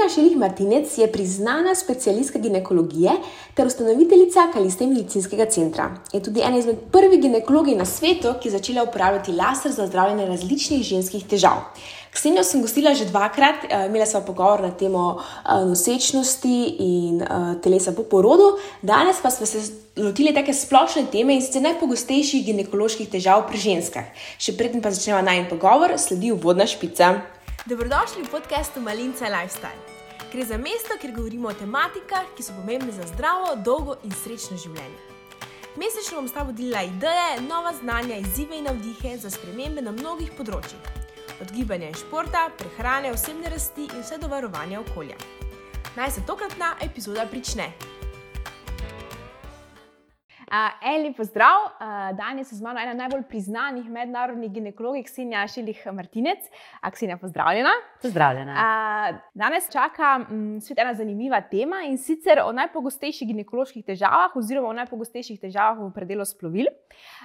Ksenija Šilih Martinec je priznana specialistka ginekologije ter ustanoviteljica Kaliste medicinskega centra. Je tudi ena izmed prvih ginekologij na svetu, ki je začela uporabljati laser za zdravljenje različnih ženskih težav. Ksenijo sem gostila že dvakrat, imela sva pogovor na temo nosečnosti in telesa po porodu. Danes pa smo se lotili take splošne teme in sicer najpogostejših ginekoloških težav pri ženskah. Še preden pa začnemo najin pogovor, sledi uvodna špica. Dobrodošli v podcastu Malinca Lifestyle. Gre za mesto, kjer govorimo o tematikah, ki so pomembne za zdravo, dolgo in srečno življenje. Mesečno bom s tabo delila ideje, nova znanja, izzive in navdihe za spremembe na mnogih področjih. Od gibanja in športa, prehrane, osebne rasti in vse do varovanja okolja. Naj se tokratna epizoda prične. Lep pozdrav, danes je z mano ena najbolj priznanih mednarodnih ginekologij, Ksenija Šilih Martinec. Ksenija, pozdravljena. Pozdravljena. Danes čaka svet ena zanimiva tema in sicer o najpogostejših ginekoloških težavah oziroma o najpogostejših težavah v predelu splovil.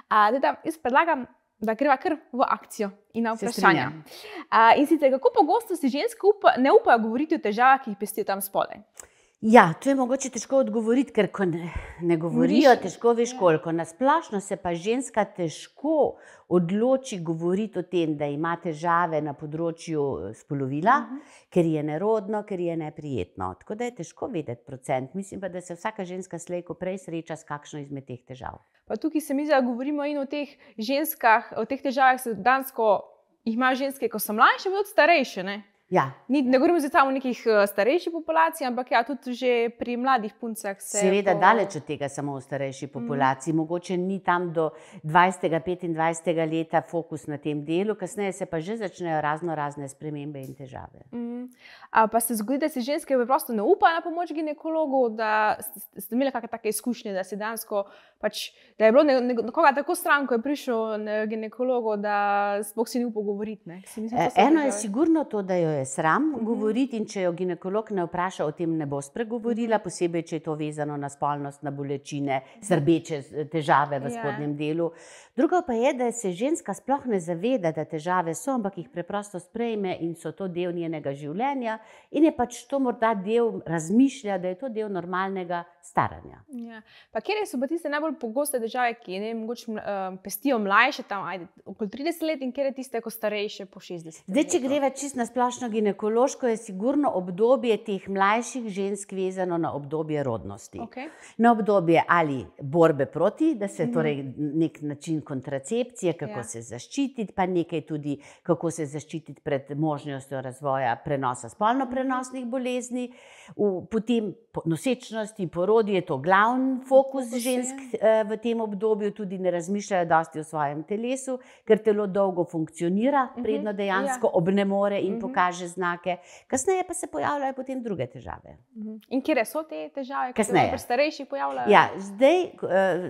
Jaz predlagam, da greva kar v akcijo in na vprašanja. In sicer, kako pogosto si ženske ne upajo govoriti o težavah, ki jih pestijo tam spodaj? Ja, to je mogoče težko odgovoriti, ker ko ne govorijo, težko veš koliko. Na splošno se pa ženska težko odloči govoriti o tem, da ima težave na področju spolovila, ker je nerodno, ker je neprijetno. Tako da je težko vedeti procent. Mislim pa, da se vsaka ženska slej ko prej sreča s kakšno izmed teh težav. Pa tukaj se mi zdi, da govorimo in o teh ženskah, o teh težavah se dansko jih imajo ženske, ko so mlajše, pa tudi starejše, ne? Ja. Ne govorimo zdaj samo o nekih starejših populacij, ampak ja, tudi že pri mladih puncah se... Seveda daleč od tega samo v starejši populaciji. Mogoče ni tam do 20. 25. leta fokus na tem delu, kasneje se pa že začnejo razne spremembe in težave. Pa se zgodi, da se ženske preprosto ne upajo na pomoč ginekologu, da ste imeli kakšne take izkušnje, da se dansko da je bilo nekoga tako stran, ko je prišel ginekologu, da sploh si ni upal govoriti, ne? Eno je sigurno to, da jo je sram govoriti in če jo ginekolog ne vpraša, o tem ne bo spregovorila, posebej, če je to vezano na spolnost, na bolečine, srbeče težave v spodnjem delu. Drugo pa je, da se ženska sploh ne zaveda, da težave so, ampak jih preprosto sprejme in so to del njenega življenja in je to morda del razmišlja, da je to del normalnega staranja. Ja. Pa kjer so pa tiste najbolj pogoste težave, ki mogoče pestijo mlajše, tam okoli 30 let in kjer je tiste, ko starejše po 60 let? Zdaj, če greva čisto na splošno ginekološko, je sigurno obdobje teh mlajših žensk vezano na obdobje rodnosti. Na obdobje ali borbe proti, da se torej nek način kontracepcije, kako se zaščititi, pa nekaj tudi, kako se zaščititi pred možnostjo razvoja prenosa spolno prenosnih bolezni. Potem nosečnosti, porodi je to glavni fokus žensk v tem obdobju, tudi ne razmišljajo dosti o svojem telesu, ker telo dolgo funkcionira, predno dejansko obnemore in pokaže znake. Kasneje pa se pojavljajo potem druge težave. In kje so te težave, ki se pri starejših pojavljajo? Ja, zdaj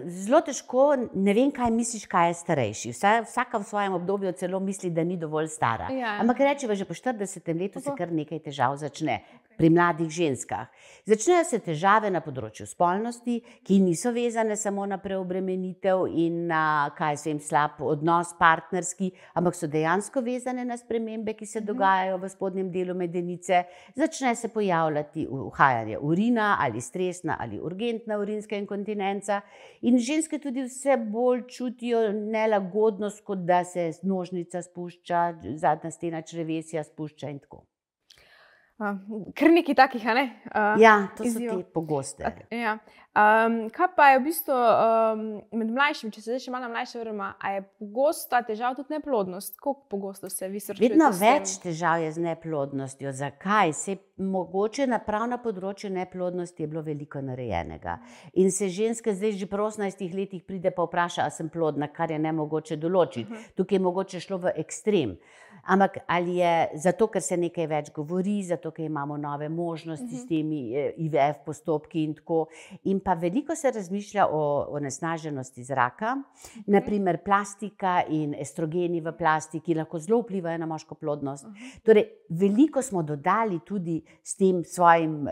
zelo težko, ne vem, kaj misliš, kaj je starejši. Vsaka v svojem obdobju celo misli, da ni dovolj stara. Ampak rečeva, že po 40. letu se kar nekaj težav začne pri mladih ženskah. Začnejo se težave na področju spolnosti, ki niso vezane samo na preobremenitev in na slab odnos partnerski, ampak so dejansko vezane na spremembe, ki se dogajajo v spodnjem delu medenice. Začne se pojavljati uhajanje urina ali stresna ali urgentna urinska inkontinenca in ženske tudi vse bolj čutijo nelagodnost, kot da se nožnica spušča, zadnja stena črevesja spušča in tako. Kar nekaj takih, a ne? Ja, to so te pogoste. Ja. Kaj pa je v bistvu med mlajšimi, če se zdaj še malo mlajše vrema, a je pogosta težava tudi neplodnost? Koliko pogosto se vi srečujete s tem? Vedno več težav je z neplodnostjo. Zakaj? Mogoče prav na področju neplodnosti je bilo veliko narejenega. In se ženske zdaj že pri 18 letih pride pa vpraša, a sem plodna, kar je nemogoče določiti. Tukaj je mogoče šlo v ekstrem. Ampak ali je zato, ker se nekaj več govori, zato, ker imamo nove možnosti s temi IVF postopki in tako. In pa veliko se razmišlja o onesnaženosti zraka, naprimer plastika in estrogeni v plastiki lahko zelo vplivajo na moško plodnost. Torej, veliko smo dodali tudi s tem svojim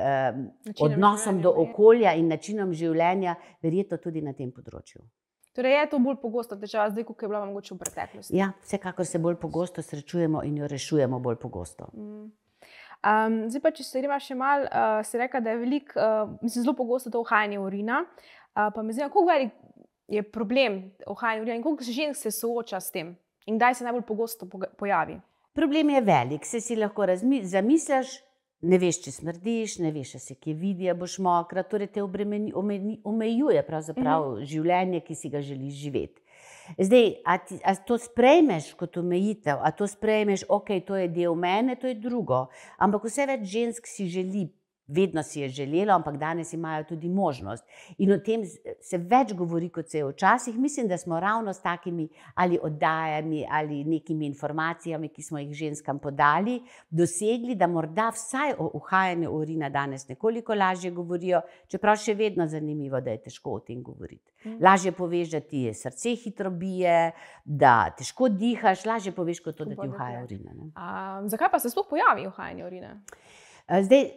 odnosom do okolja in načinom življenja, verjetno tudi na tem področju. Torej je to bolj pogosta težava zdaj, kot je bila mogoče v preteklosti? Ja, vsekakor se bolj pogosto srečujemo in jo rešujemo bolj pogosto. Zdaj pa, če se greva še malo, si rekla, da je zelo pogosto to uhajanje urina, pa me zanima, koliko velik je problem uhajanja urina in koliko žensk se sooča s tem in kdaj se najbolj pogosto pojavi? Problem je velik, si lahko zamisliš, ne veš, če smrdiš, ne veš, če se kje vidi, boš mokra, torej te omejuje pravzaprav življenje, ki si ga želiš živeti. Zdaj, a to sprejmeš kot omejitev, a to sprejmeš, ok, to je del mene, to je drugo, ampak vse več žensk si želi, vedno si je želelo, ampak danes imajo tudi možnost. In o tem se več govori, kot se je včasih. Mislim, da smo ravno s takimi ali oddajami ali nekimi informacijami, ki smo jih ženskam podali, dosegli, da morda vsaj o uhajanju urina danes nekoliko lažje govorijo, čeprav še vedno zanimivo, da je težko o tem govoriti. Lažje poveš, da ti je srce hitro bije, da težko dihaš, lažje poveš, kot to, da ti uhaja urina. Zakaj pa se sploh pojavi uhajanje urina? Zdaj,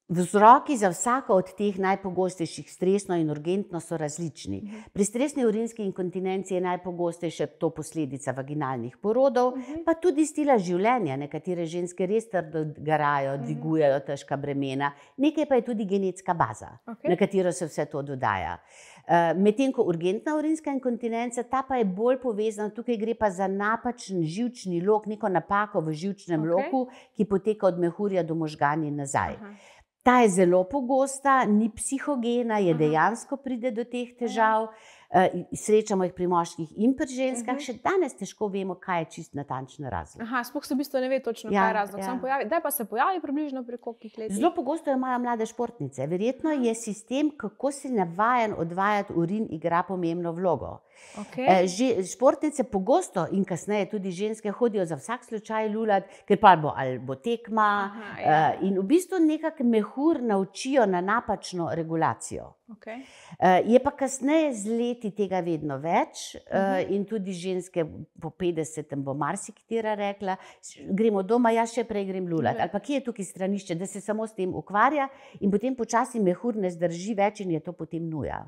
vzroki za vsako od teh najpogostejših, stresno in urgentno, so različni. Pri stresni urinski inkontinenci je najpogostejša to posledica vaginalnih porodov, pa tudi stila življenja. Nekatere ženske res trdo garajo, dvigujejo težka bremena, nekaj pa je tudi genetska baza, na katero se vse to dodaja. Medtem ko urgentna urinska inkontinenca, ta pa je bolj povezana, tukaj gre pa za napačen živčni lok, neko napako v živčnem loku, ki poteka od mehurja do možgani nazaj. Ta je zelo pogosta, ni psihogena, je dejansko pride do teh težav. Srečamo jih pri moških in pri ženskah, še danes težko vemo, kaj je čist natančen razlog. Sploh se v bistvu ne ve točno, kaj je razlog. Kdaj pa se pojavi približno pri kolikih letih? Zelo pogosto imajo mlade športnice. Verjetno je sistem, kako si navajen odvajati urin, igra pomembno vlogo. Športnice pogosto in kasneje tudi ženske hodijo za vsak slučaj lulat, ker pa ali bo tekma in v bistvu nekako mehur naučijo na napačno regulacijo. Je pa kasneje z leti tega vedno več in tudi ženske po 50 bo marsikatera rekla, gremo doma, jaz še prej grem lulat. Ali pa kje je tukaj stranišče, da se samo s tem ukvarja in potem počasi mehur ne zdrži več in je to potem nuja.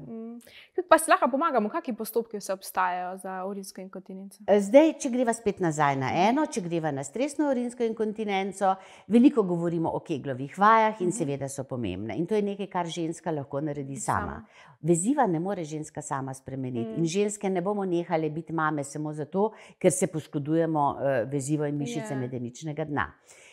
Kako pa si lahko pomagamo, kakšni postopki vse obstajajo za urinsko inkontinenco? Zdaj, če greva spet nazaj na eno, če greva na stresno urinsko inkontinenco, veliko govorimo o Keglovih vajah in seveda so pomembne. In to je nekaj, kar ženska lahko naredi sama. Veziva ne more ženska sama spremeniti in ženske ne bomo nehale biti mame samo zato, ker se poškodujemo vezivo in mišice medeničnega dna.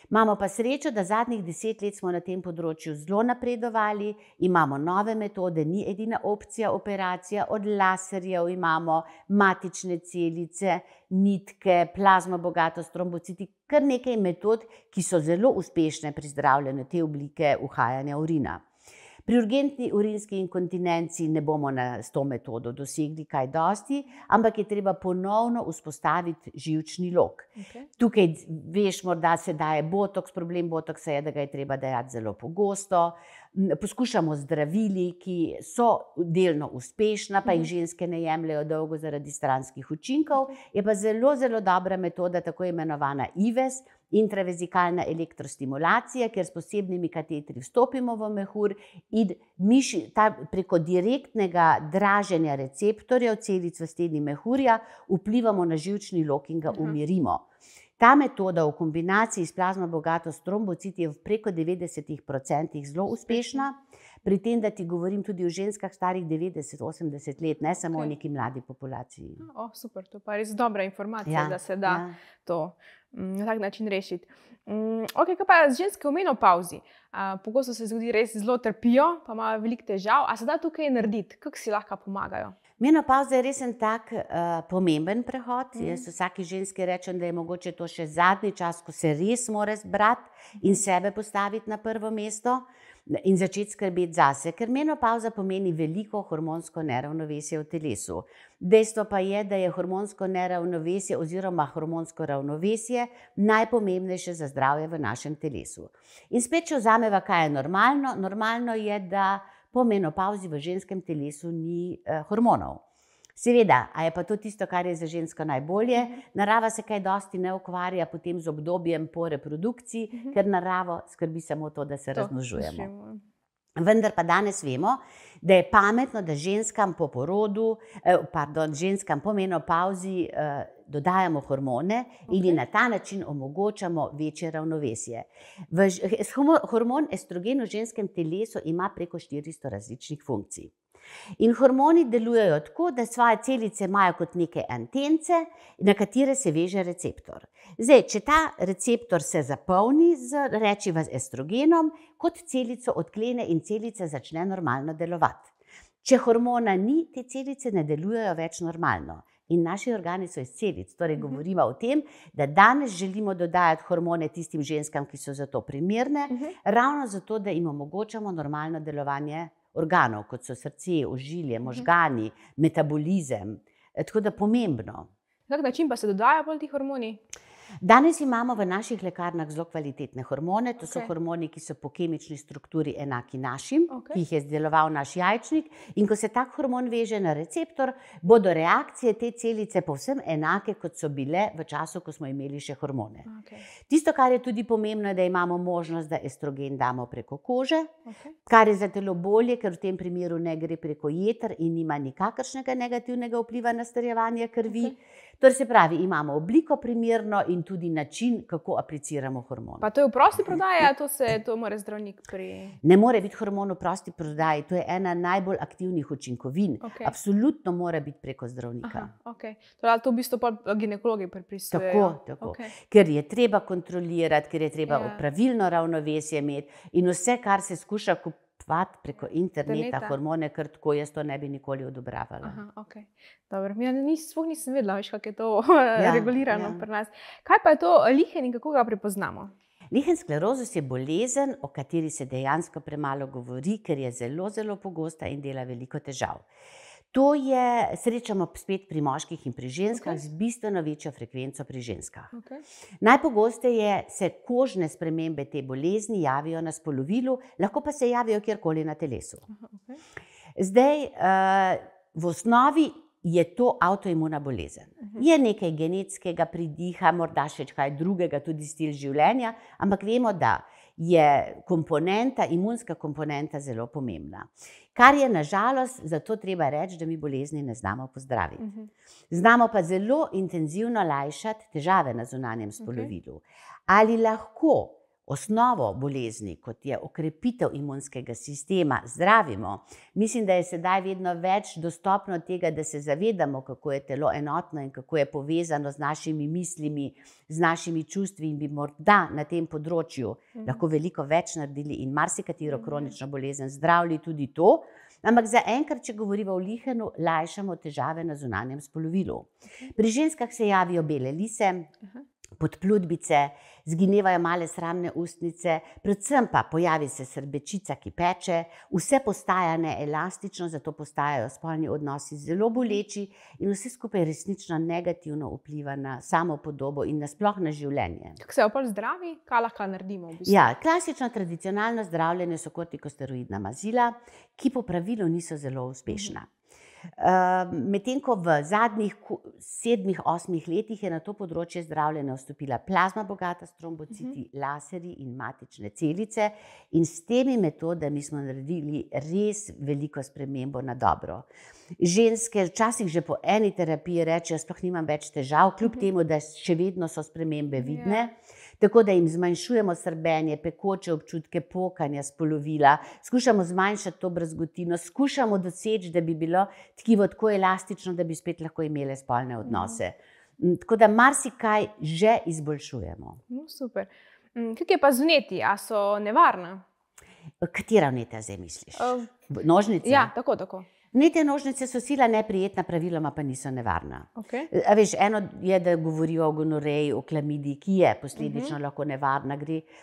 Imamo pa srečo, da zadnjih 10 let smo na tem področju zelo napredovali, imamo nove metode, ni edina opcija operacija, od laserjev imamo matične celice, nitke, plazma bogatost, trombociti, kar nekaj metod, ki so zelo uspešne pri zdravljenju te oblike uhajanja urina. Pri urgentni urinski inkontinenci ne bomo s to metodo dosegli kaj dosti, ampak je treba ponovno vzpostaviti živčni lok. Tukaj veš, morda se daje botoks, problem botoksa je, da ga je treba dajati zelo pogosto. Poskušamo zdravili, ki so delno uspešna, pa jih ženske ne jemljajo dolgo zaradi stranskih učinkov. Je pa zelo, zelo dobra metoda, tako imenovana IVES, intravezikalna elektrostimulacija, kjer s posebnimi katetri vstopimo v mehur in preko direktnega draženja receptorjev celic v steni mehurja vplivamo na živčni lok in ga umirimo. Ta metoda v kombinaciji s plazma bogatost trombociti je v preko 90% zelo uspešna, pri tem, da ti govorim tudi o ženskah starih 90-80 let, ne samo o neki mladi populaciji. Super, to pa je res dobra informacija, da se da to na tak način rešiti. Kaj pa ženske v menopavzi? Pogosto se zgodi, res zelo trpijo, pa imajo veliko težav. A se da tukaj narediti? Kako si lahko pomagajo? Menopavza je res en tak pomemben prehod. Jaz vsaki ženski rečem, da je mogoče to še zadnji čas, ko se res mora zbrati in sebe postaviti na prvo mesto in začeti skrbeti zase, ker menopavza pomeni veliko hormonsko neravnovesje v telesu. Dejstvo pa je, da je hormonsko neravnovesje oziroma hormonsko ravnovesje najpomembnejše za zdravje v našem telesu. In spet, če vzameva, kaj je normalno, normalno je, da po menopavzi v ženskem telesu ni hormonov. Seveda, a je pa to tisto, kar je za žensko najbolje? Narava se kaj dosti ne ukvarja potem z obdobjem po reprodukciji, ker naravo skrbi samo to, da se razmnožujemo. Vendar pa danes vemo, da je pametno, da ženskam po menopavzi dodajamo hormone in jim na ta način omogočamo večje ravnovesje. Hormon estrogen v ženskem telesu ima preko 400 različnih funkcij. In hormoni delujejo tako, da svoje celice imajo kot neke antence, na katere se veže receptor. Zdaj, če ta receptor se zapolni z rečiva estrogenom, kot celico odklene in celica začne normalno delovati. Če hormona ni, te celice ne delujejo več normalno. In naši organi so iz celic. Torej govorimo o tem, da danes želimo dodajati hormone tistim ženskam, ki so za to primerne, ravno zato, da jim omogočamo normalno delovanje organov, kot so srce, ožilje, možgani, metabolizem. Tako da pomembno. Na kak način pa se dodajajo bolj ti hormoni? Danes imamo v naših lekarnah zelo kvalitetne hormone. To so hormoni, ki so po kemični strukturi enaki našim, ki jih je izdeloval naš jajčnik. In ko se tak hormon veže na receptor, bodo reakcije te celice povsem enake, kot so bile v času, ko smo imeli še hormone. Tisto, kar je tudi pomembno, je, da imamo možnost, da estrogen damo preko kože, kar je za telo bolje, ker v tem primeru ne gre preko jeter in nima nikakršnega negativnega vpliva na strjevanje krvi. Torej se pravi, imamo obliko primerno in tudi način, kako apliciramo hormon. Pa to je v prosti prodaji, to mora zdravnik Ne more biti hormon v prosti prodaji, to je ena najbolj aktivnih učinkovin. Absolutno mora biti preko zdravnika. To v bistvu pa ginekologi predpisujejo. Tako. Ker je treba kontrolirati, ker je treba pravilno ravnovesje imeti in vse, kar se skuša kupovati preko interneta, hormone, kar tako jaz to ne bi nikoli odobravala. Dobro, sploh nisem vedela, kako je to regulirano pri nas. Kaj pa je to lihen in kako ga prepoznamo? Lihen sklerozus je bolezen, o kateri se dejansko premalo govori, ker je zelo, zelo pogosta in dela veliko težav. To srečamo spet pri moških in pri ženskah z bistveno večjo frekvenco pri ženskah. Najpogosteje se kožne spremembe te bolezni javijo na spolovilu, lahko pa se javijo kjerkoli na telesu. Zdaj, v osnovi je to avtoimuna bolezen. Je nekaj genetskega pridiha, morda še kaj drugega, tudi stil življenja, ampak vemo, da je imunska komponenta zelo pomembna. Kar je na žalost, zato treba reči, da mi bolezni ne znamo pozdraviti. Znamo pa zelo intenzivno lajšati težave na zunanjem spolovilu. Ali lahko osnovo bolezni, kot je okrepitev imunskega sistema, zdravimo? Mislim, da je sedaj vedno več dostopno tega, da se zavedamo, kako je telo enotno in kako je povezano z našimi mislimi, z našimi čustvi in bi morda na tem področju lahko veliko več naredili in marsikatero kronično bolezen zdravili tudi to. Ampak zaenkrat, če govorimo o lihenu, lajšamo težave na zunanjem spolovilu. Pri ženskah se javijo bele lise, podplutbice, zginevajo male sramne ustnice, predvsem pa pojavi se srbečica, ki peče, vse postaja neelastično, zato postajajo spolni odnosi zelo boleči in vse skupaj resnično negativno vpliva na samo podobo in nasploh na življenje. Kako se opol zdravi? Kaj lahko naredimo v bistvu? Ja, klasično tradicionalno zdravljenje so kortikosteroidna mazila, ki po pravilu niso zelo uspešna. Medtem ko v zadnjih 7-8 letih je na to področje zdravljenja vstopila plazma bogata s trombociti, laserji in matične celice in s temi metodami smo naredili res veliko spremembo na dobro. Ženske včasih že po eni terapiji rečejo, sploh nimam več težav, kljub temu, da še vedno so spremembe vidne. Tako da jim zmanjšujemo srbenje, pekoče občutke, pokanja spolovila, skušamo zmanjšati to brazgotino, skušamo doseči, da bi bilo tkivo tako elastično, da bi spet lahko imele spolne odnose. Tako da marsikaj že izboljšujemo. Super. Kako je pa z vnetji? A so nevarna? Katera vnetja zdaj misliš? Nožnice? Ja, tako. Vnetje nožnice so sila neprijetna, praviloma pa niso nevarna. A veš, eno je, da govorijo o gonoreji, o klamidiji, ki je posledično lahko nevarna.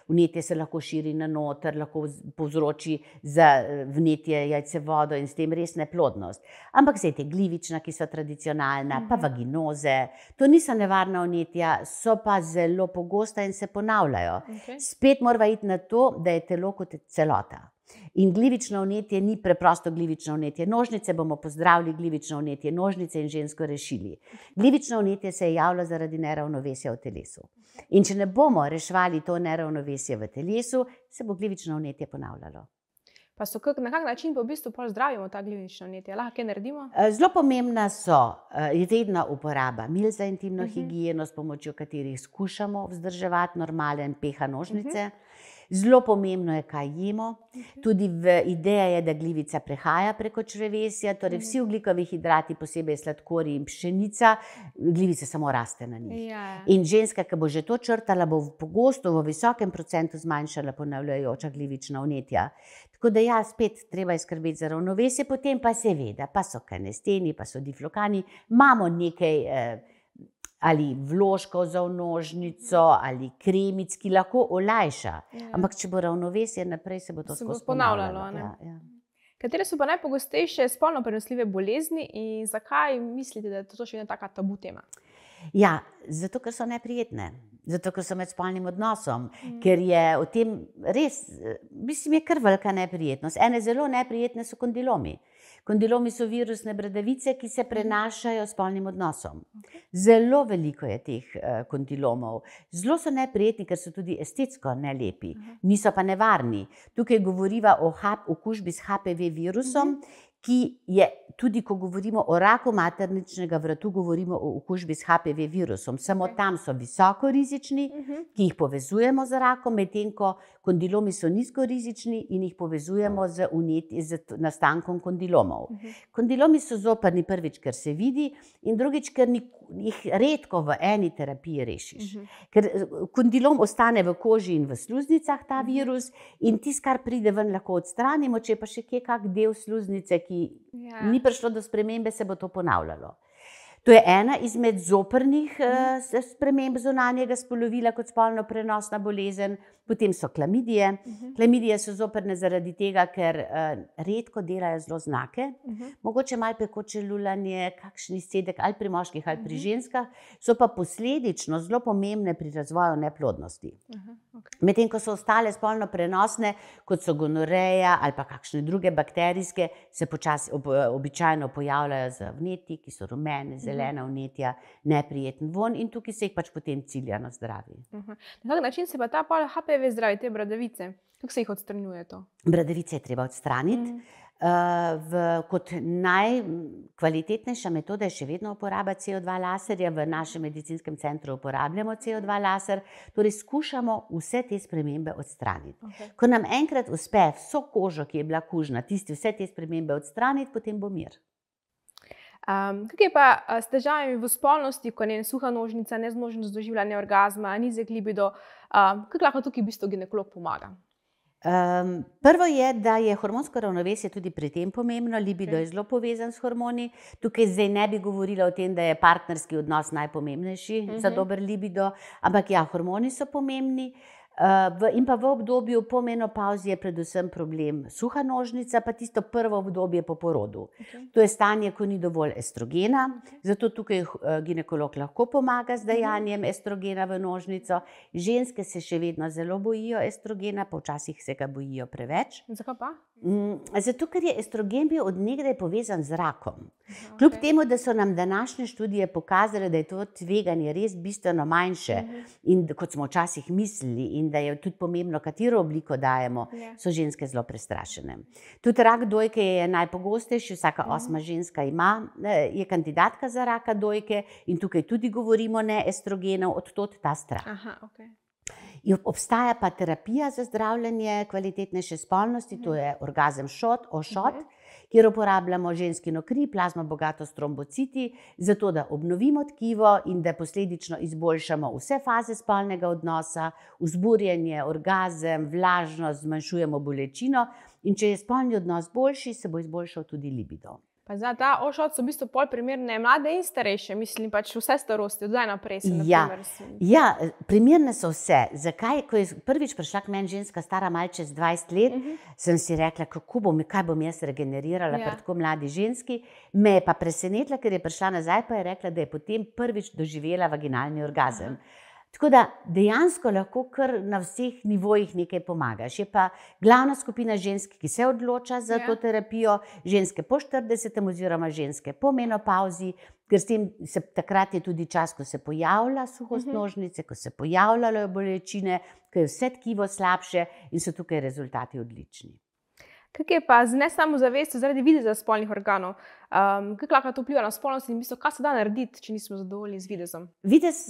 Vnetje se lahko širi na noter, lahko povzroči za vnetje jajcevodo in s tem res neplodnost. Ampak zdaj te glivična, ki so tradicionalna, pa vaginoze, to niso nevarna vnetja, so pa zelo pogosta in se ponavljajo. Spet mora iti na to, da je telo kot celota. In glivično vnetje ni preprosto glivično vnetje. Nožnice bomo pozdravili, glivično vnetje, nožnice in žensko rešili. Glivično vnetje se je javilo zaradi neravnovesja v telesu. In če ne bomo reševali to neravnovesje v telesu, se bo glivično vnetje ponavljalo. Pa na kak način pa v bistvu pol zdravimo ta glivična vnetja? Lahko kaj naredimo? Zelo pomembna je vedno uporaba mil za intimno higieno, s pomočjo katerih skušamo vzdrževati normalen pH nožnice. Zelo pomembno je, kaj jemo. Tudi ideja je, da glivica prehaja preko črevesja, torej vsi ogljikovi hidrati, posebej sladkorji in pšenica, glivica samo raste na njih. In ženska, ki bo že to črtala, bo pogosto v visokem procentu zmanjšala ponavljajoča glivična vnetja. Tako da ja, spet treba je skrbeti za ravnovesje, potem pa seveda, pa so kanesteni, pa so diflokani, imamo nekaj ali vložkov za vnožnico, ali kremic, ki lahko olajša. Ampak če bo ravnovesje naprej, se bo to skozi ponavljalo. Katere so pa najpogostejše spolno prenosljive bolezni in zakaj mislite, da je to še ena taka tabu tema? Ja, zato, ker so neprijetne. Zato, ker so med spolnim odnosom. Ker je o tem res, mislim, je kar velika neprijetnost. Ene zelo neprijetne so kondilomi. Kondilomi so virusne bradavice, ki se prenašajo s spolnim odnosom. Zelo veliko je teh kondilomov. Zelo so neprijetni, ker so tudi estetsko nelepi. Niso pa nevarni. Tukaj govoriva o okužbi s HPV virusom, ki je tudi, ko govorimo o raku materničnega vratu, govorimo o okužbi s HPV virusom. Samo tam so visoko rizični, ki jih povezujemo z rakom, medtem ko kondilomi so nizko rizični in jih povezujemo z nastankom kondilomov. Kondilomi so zoprni prvič, ker se vidi, in drugič, ker jih redko v eni terapiji rešiš. Ker kondilom ostane v koži in v sluznicah, ta virus, in tisto, kar pride ven, lahko odstranimo, če pa še kje kak del sluznice, ki ni prišlo do spremembe, se bo to ponavljalo. To je ena izmed zoprnih sprememb zunanjega spolovila kot spolno prenosna bolezen. Potem so klamidije. Klamidije so zoprne zaradi tega, ker redko delajo zelo znake. Mogoče malo pekoče lulanje, kakšen izcedek ali pri moških ali pri ženskah, so pa posledično zelo pomembne pri razvoju neplodnosti. Medtem ko so ostale spolno prenosne, kot so gonoreja ali pa kakšne druge bakterijske, se običajno pojavljajo z vnetji, ki so rumene, zelena vnetja, neprijeten vonj, in tukaj se jih pač potem ciljano zdravi. Na kak način se pa ta HPV zdravi, te bradavice? Kako se jih odstranjuje to? Bradavice je treba odstraniti. Kot najkvalitetnejša metoda je še vedno uporaba CO2 laserja. V našem medicinskem centru uporabljamo CO2 laser, torej skušamo vse te spremembe odstraniti. Ko nam enkrat uspe vso kožo, ki je bila kužna, vse te spremembe odstraniti, potem bo mir. Kako je pa s težavami v spolnosti, ko je suha nožnica, nezmožnost doživljanja orgazma, nizek libido, kako lahko tukaj v bistvu ginekolog pomaga? Prvo je, da je hormonsko ravnovesje tudi pri tem pomembno. Libido je zelo povezan s hormoni. Tukaj zdaj ne bi govorila o tem, da je partnerski odnos najpomembnejši za dober libido, ampak ja, hormoni so pomembni. In pa v obdobju po menopavzi je predvsem problem suha nožnica, pa tisto prvo obdobje po porodu. To je stanje, ko ni dovolj estrogena, zato tukaj ginekolog lahko pomaga z dajanjem estrogena v nožnico. Ženske se še vedno zelo bojijo estrogena, pa včasih se ga bojijo preveč. Zakaj pa? Zato, ker je estrogen bil od nekdaj povezan z rakom. Kljub temu, da so nam današnje študije pokazale, da je to tveganje res bistveno manjše, in kot smo včasih mislili, in da je tudi pomembno, katero obliko dajemo, so ženske zelo prestrašene. Tudi rak dojke je najpogostejši, vsaka 8. ženska je kandidatka za raka dojke, in tukaj tudi govorimo ne estrogenov, od tod ta strah. Obstaja pa terapija za zdravljenje kvalitetnejše spolnosti, to je orgazem shot, kjer uporabljamo ženskino kri, plazmo bogato s trombociti, zato da obnovimo tkivo in da posledično izboljšamo vse faze spolnega odnosa, vzburjenje, orgazem, vlažnost, zmanjšujemo bolečino, in če je spolni odnos boljši, se bo izboljšal tudi libido. Pa za ta ošot so v bistvu pol primerne mlade in starejše, mislim pač vse starosti, od zdaj naprej se naprimer. Ja, primerne so vse. Zakaj? Ko je prvič prišla k meni ženska stara malo čez 20 let, sem si rekla, kaj bom jaz regenerirala pri tako mladi ženski. Me je pa presenetila, ker je prišla nazaj, pa je rekla, da je potem prvič doživela vaginalni orgazem. Tako da dejansko lahko kar na vseh nivojih nekaj pomagaš. Je pa glavna skupina žensk, ki se odloča za to terapijo, ženske po 40. oziroma ženske po menopavzi, ker s tem takrat je tudi čas, ko se pojavlja suhost nožnice, ko se pojavljajo bolečine, ko je vse tkivo slabše in so tukaj rezultati odlični. Kaj je pa z nesamozavestjo zaradi videza spolnih organov? Kako lahko to vpliva na spolnost in kaj se da narediti, če nismo zadovoljni z videzom? Videz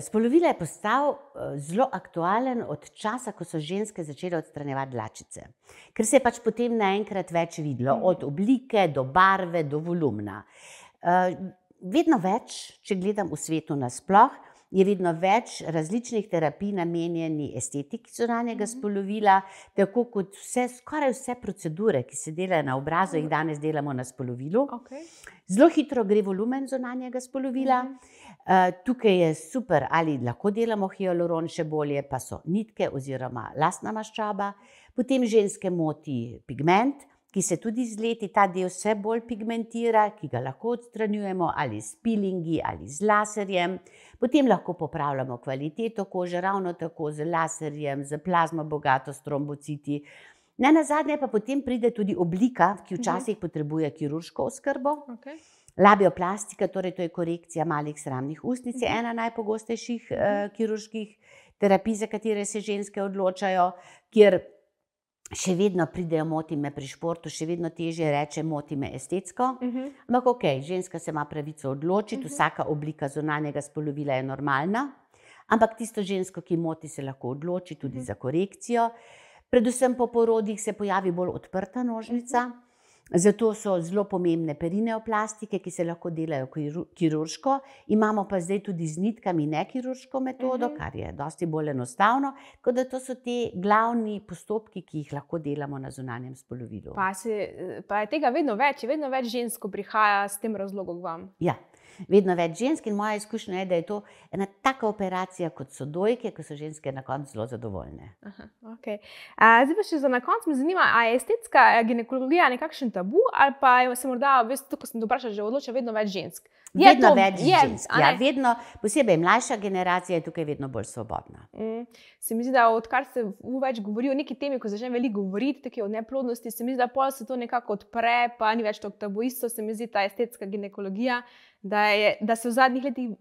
spolovila je postal zelo aktualen od časa, ko so ženske začele odstranjevati dlačice. Ker se je pač potem naenkrat več videlo, od oblike do barve do volumna. Vedno več, če gledam v svetu nasploh, je vedno več različnih terapij namenjeni estetiki zunanjega spolovila, tako kot skoraj vse procedure, ki se delajo na obrazu, jih danes delamo na spolovilu. Zelo hitro gre volumen zunanjega spolovila. Tukaj je super, ali lahko delamo hialuron, še bolje pa so nitke oziroma lastna maščoba. Potem ženske moti pigment, ki se tudi z leti ta del vse bolj pigmentira, ki ga lahko odstranjujemo ali s pilingi ali z laserjem. Potem lahko popravljamo kvaliteto kože, ravno tako z laserjem, z plazmo bogato s trombociti. Nenazadnje pa potem pride tudi oblika, ki včasih potrebuje kirurško oskrbo. Labioplastika, torej to je korekcija malih sramnih ustnic, je ena najpogostejših kirurških terapij, za katere se ženske odločajo, kjer še vedno pridejo moti me pri športu, še vedno težje reče moti me estetsko. Ampak okej, ženska se ima pravico odločiti, vsaka oblika zunanjega spolovila je normalna, ampak tisto žensko, ki moti, se lahko odloči tudi za korekcijo. Predvsem po porodih se pojavi bolj odprta nožnica, zato so zelo pomembne perineoplastike, ki se lahko delajo kirurško. Imamo pa zdaj tudi z nitkami nekirurško metodo, kar je dosti bolj enostavno, tako da to so ti glavni postopki, ki jih lahko delamo na zunanjem spolovilu. Pa je tega vedno več žensk, ko prihaja s tem razlogom k vam? Ja. Vedno več žensk in moja izkušnja je, da je to ena taka operacija, kot so dojke, ko so ženske na koncu zelo zadovoljne. Zdaj pa še za na koncu me zanima, a je estetska ginekologija nekakšen tabu ali pa se morda, ko sem to vprašala, že odloča vedno več žensk? Vedno več žensk, ja, vedno, posebej mlajša generacija je tukaj vedno bolj svobodna. Se mi zdi, da odkar se več govori o neki temi, ko začne veliko govoriti o neplodnosti, se mi zdi, da pol se to nekako odpre, pa ni več tako tabu. Isto se mi zdi ta estetska ginekologija, da se v zadnjih letih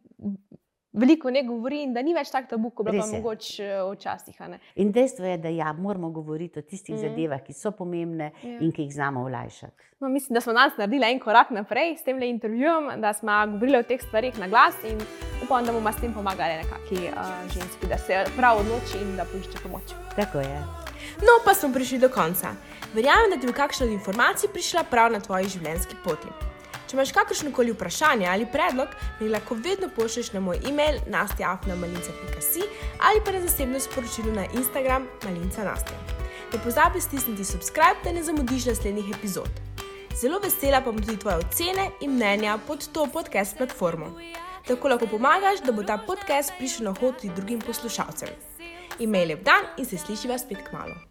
veliko ne govori in da ni več tako tabu, kot pa mogoče včasih. In dejstvo je, da moramo govoriti o tistih zadevah, ki so pomembne in ki jih znamo olajšati. No, mislim, da smo danes naredili en korak naprej s temle intervjujem, da smo govorili o teh stvarih na glas in upam, da bomo s tem pomagali nekaki ženski, da se prav odloči in da poišče pomoč. Tako je. No, pa smo prišli do konca. Verjamem, da ti bo kakšna od informacij prišla prav na tvoji življenjski poti. Če imaš kakršnokoli vprašanje ali predlog, mi lahko vedno pošlješ na moj e-mail nastja@malinca.si ali pa na zasebno sporočilo na Instagram malinca_nastja. Ne pozabi stisniti subscribe, da ne zamudiš naslednjih epizod. Zelo vesela pa bom tudi tvoje ocene in mnenja pod to podcast platformo. Tako lahko pomagaš, da bo ta podcast prišel na hod tudi drugim poslušalcem. Imej lep dan in se slišiva spet kmalu.